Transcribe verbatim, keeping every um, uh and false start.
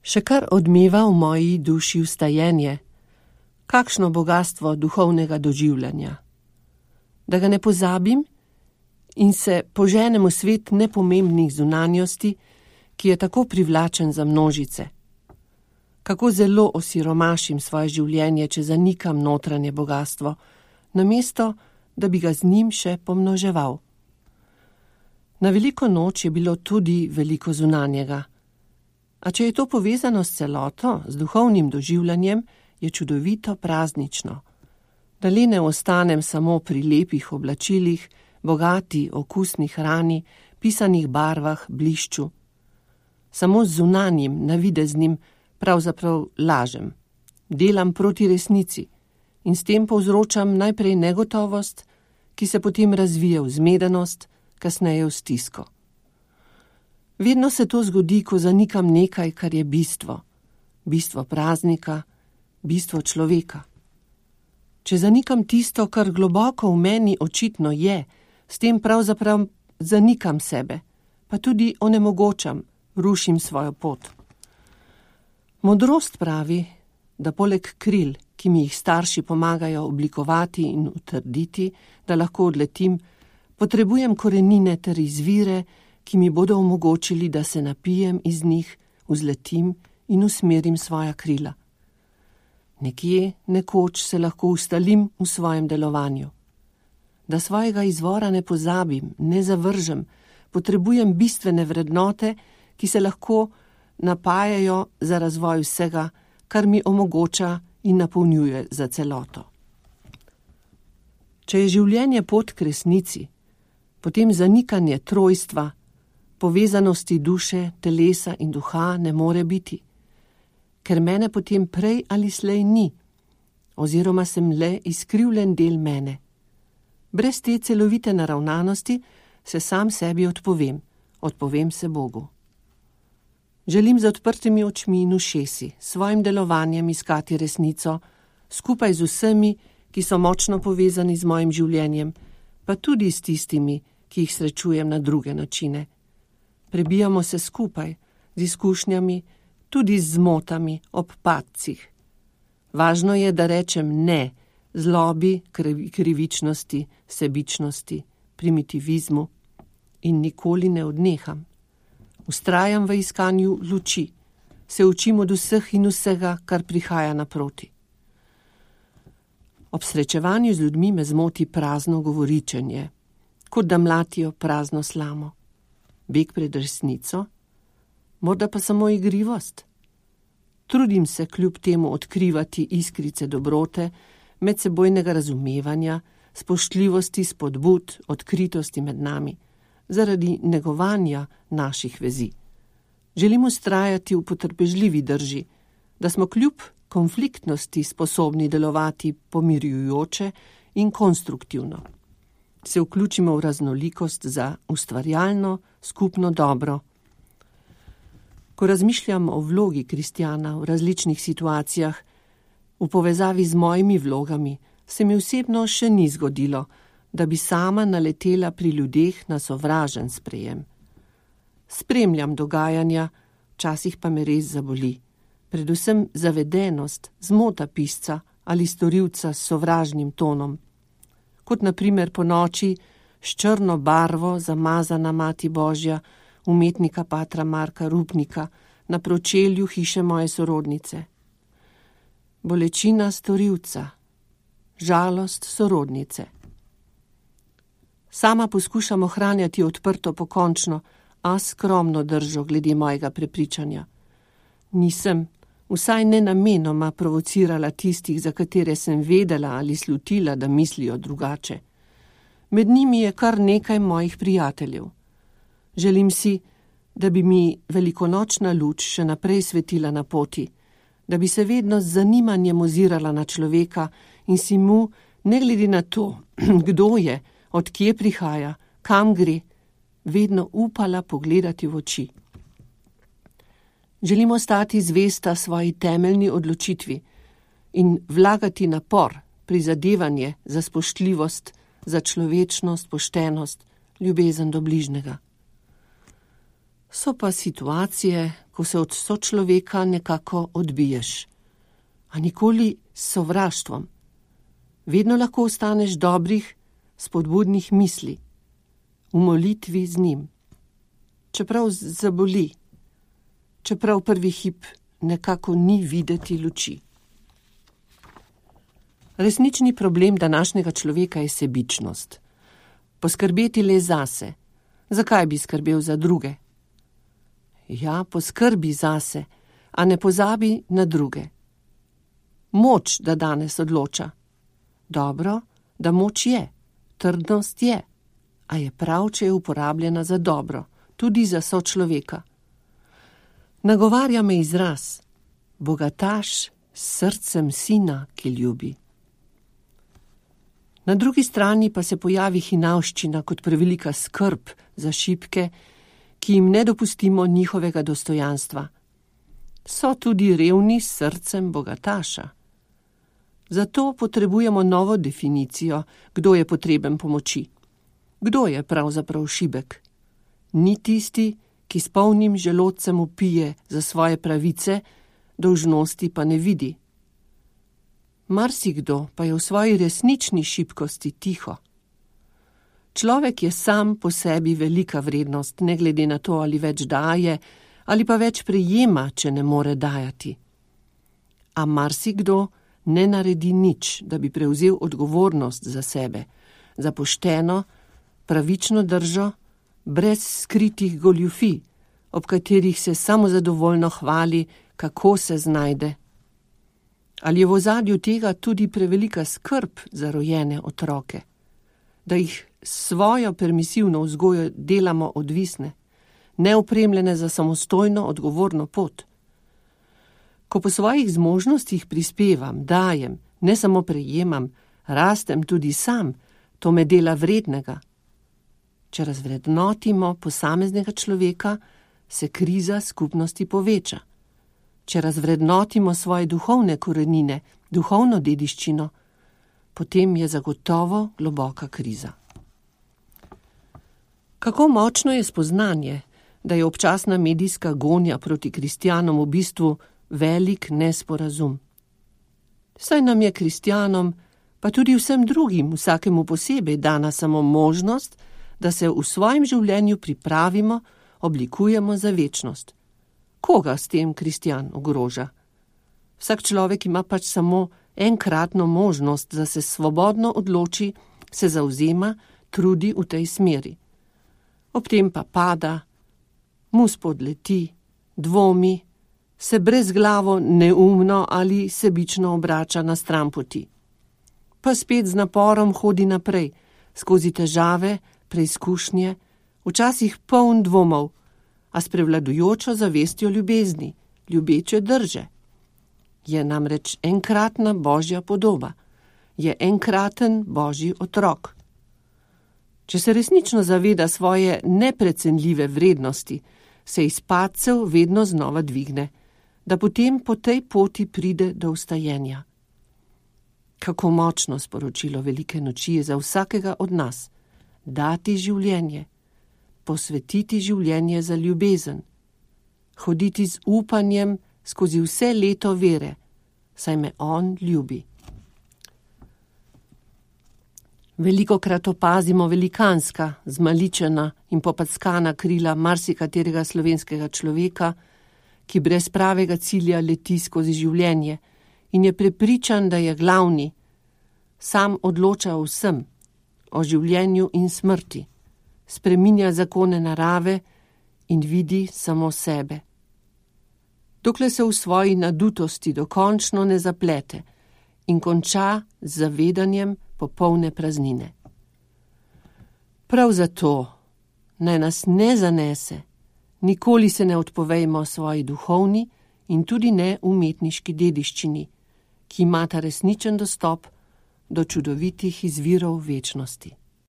Še kar odmeva v moji duši vstajenje, kakšno bogastvo duhovnega doživljanja. Da ga ne pozabim in se poženem v svet nepomembnih zunanjosti, ki je tako privlačen za množice. Kako zelo osiromašim svoje življenje, če zanikam notranje bogastvo, namesto, da bi ga z njim še pomnoževal. Na veliko noč je bilo tudi veliko zunanjega. A če je to povezano s celoto, z duhovnim doživljanjem, je čudovito praznično. Da le ne ostanem samo pri lepih oblačilih, bogati okusni hrani, pisanih barvah, blišču. Samo z zunanjim, navideznim, pravzaprav lažem. Delam proti resnici in s tem povzročam najprej negotovost, ki se potem razvije v zmedenost, kasneje v stisko. Vedno se to zgodi, ko zanikam nekaj, kar je bistvo. Bistvo praznika, bistvo človeka. Če zanikam tisto, kar globoko v meni očitno je, s tem pravzaprav zanikam sebe, pa tudi onemogočam, rušim svojo pot. Modrost pravi, da poleg kril, ki mi jih starši pomagajo oblikovati in utrditi, da lahko odletim, potrebujem korenine ter izvire, ki mi bodo omogočili, da se napijem iz njih, vzletim in usmerim svoja krila. Nekje, nekoč se lahko ustalim v svojem delovanju. Da svojega izvora ne pozabim, ne zavržem, potrebujem bistvene vrednote, ki se lahko napajajo za razvoj vsega, kar mi omogoča in napolnjuje za celoto. Če je življenje pot k resnici, potem zanikanje trojstva, povezanosti duše, telesa in duha ne more biti, ker mene potem prej ali slej ni, oziroma sem le izkrivljen del mene. Brez te celovite naravnanosti se sam sebi odpovem, odpovem se Bogu. Želim z odprtimi očmi in ušesi, svojim delovanjem iskati resnico, skupaj z vsemi, ki so močno povezani z mojim življenjem, pa tudi s tistimi, ki jih srečujem na druge načine. Prebijamo se skupaj, z izkušnjami, tudi z zmotami ob padcih. Važno je, da rečem ne zlobi, krivičnosti, sebičnosti, primitivizmu in nikoli ne odneham. Vztrajam v iskanju luči, se učim od vseh in vsega, kar prihaja naproti. Ob srečevanju z ljudmi me zmoti prazno govoričenje, kot da mlatijo prazno slamo. Beg pred resnico, morda pa samo igrivost. Trudim se kljub temu odkrivati iskrice dobrote, medsebojnega razumevanja, spoštljivosti, spodbud, odkritosti med nami, zaradi negovanja naših vezi. Želim vztrajati v potrpežljivi drži, da smo kljub konfliktnosti sposobni delovati pomirjujoče in konstruktivno. Se vključimo v raznolikost za ustvarjalno, skupno dobro. Ko razmišljam o vlogi kristjana v različnih situacijah, v povezavi z mojimi vlogami, se mi osebno še ni zgodilo, da bi sama naletela pri ljudeh na sovražen sprejem. Spremljam dogajanja, včasih pa me res zaboli. Predvsem zavedenost, zmota pisca ali storilca s sovražnim tonom. Kot na primer po noči s črno barvo zamazana Mati Božja, umetnika patra Marka Rupnika, na pročelju hiše moje sorodnice. Bolečina storilca, žalost sorodnice. Sama poskušam ohranjati odprto pokončno, a skromno držo glede mojega prepričanja. Nisem, vsaj ne namenoma provocirala tistih, za katere sem vedela ali slutila, da mislijo drugače. Med njimi je kar nekaj mojih prijateljev. Želim si, da bi mi velikonočna luč še naprej svetila na poti, da bi se vedno z zanimanjem ozirala na človeka in si mu, ne glede na to, kdo je, od kje prihaja, kam gre, vedno upala pogledati v oči. Želimo stati zvesta svoji temeljni odločitvi in vlagati napor, prizadevanje za spoštljivost, za človečnost, poštenost, ljubezen do bližnjega. So pa situacije, ko se od sočloveka nekako odbiješ. A nikoli s sovraštvom. Vedno lahko ostaneš dobrih, spodbudnih misli, v molitvi z njim. Čeprav zaboli, čeprav prvi hip nekako ni videti luči. Resnični problem današnjega človeka je sebičnost. Poskrbeti le zase. Zakaj bi skrbel za druge? Ja, poskrbi zase, a ne pozabi na druge. Moč, da danes odloča. Dobro, da moč je, trdnost je, a je prav, če je uporabljena za dobro, tudi za sočloveka. Nagovarja me izraz, bogataš s srcem sina, ki ljubi. Na drugi strani pa se pojavi hinavščina kot prevelika skrb za šibke, ki jim ne dopustimo njihovega dostojanstva. So tudi revni s srcem bogataša. Zato potrebujemo novo definicijo, kdo je potreben pomoči. Kdo je pravzaprav šibek? Ni tisti, ki s polnim želodcem vpije za svoje pravice, dolžnosti pa ne vidi. Marsikdo pa je v svoji resnični šibkosti tiho. Človek je sam po sebi velika vrednost, ne glede na to, ali več daje, ali pa več prejema, če ne more dajati. A marsikdo ne naredi nič, da bi prevzel odgovornost za sebe, za pošteno, pravično držo, brez skritih goljufij, ob katerih se samozadovoljno hvali, kako se znajde. Ali je v ozadju tega tudi prevelika skrb za rojene otroke, da jih svojo permisivno vzgojo delamo odvisne, neopremljene za samostojno odgovorno pot? Ko po svojih zmožnostih prispevam, dajem, ne samo prejemam, rastem tudi sam, to me dela vrednega. Če razvrednotimo posameznega človeka, se kriza skupnosti poveča. Če razvrednotimo svoje duhovne korenine, duhovno dediščino, potem je zagotovo globoka kriza. Kako močno je spoznanje, da je občasna medijska gonja proti kristjanom v bistvu velik nesporazum. Saj nam je kristjanom, pa tudi vsem drugim, vsakemu posebej dana samo možnost, da se v svojem življenju pripravimo, oblikujemo za večnost. Koga s tem kristjan ogroža? Vsak človek ima pač samo enkratno možnost, da se svobodno odloči, se zavzema, trudi v tej smeri. Ob tem pa pada, mu spodleti, dvomi, se brezglavo, neumno ali sebično obrača na stran poti. Pa spet z naporom hodi naprej, skozi težave, preizkušnje, včasih poln dvomov, a s prevladujočo zavestjo ljubezni, ljubeče drže. Je namreč enkratna božja podoba, je enkraten božji otrok. Če se resnično zaveda svoje neprecenljive vrednosti, se iz padcev vedno znova dvigne, da potem po tej poti pride do vstajenja. Kako močno sporočilo velike noči je za vsakega od nas, dati življenje, posvetiti življenje za ljubezen, hoditi z upanjem skozi vse leto vere, saj me on ljubi. Velikokrat opazimo velikanska, zmaličena in popackana krila marsikaterega slovenskega človeka, ki brez pravega cilja leti skozi življenje in je prepričan, da je glavni, sam odloča o vsem, o življenju in smrti, spreminja zakone narave in vidi samo sebe. Dokler se v svoji nadutosti dokončno ne zaplete in konča z zavedanjem popolne praznine. Prav zato naj nas ne zanese, nikoli se ne odpovejmo svoji duhovni in tudi ne umetniški dediščini, ki imata resničen dostop do čudovitih izvirov večnosti.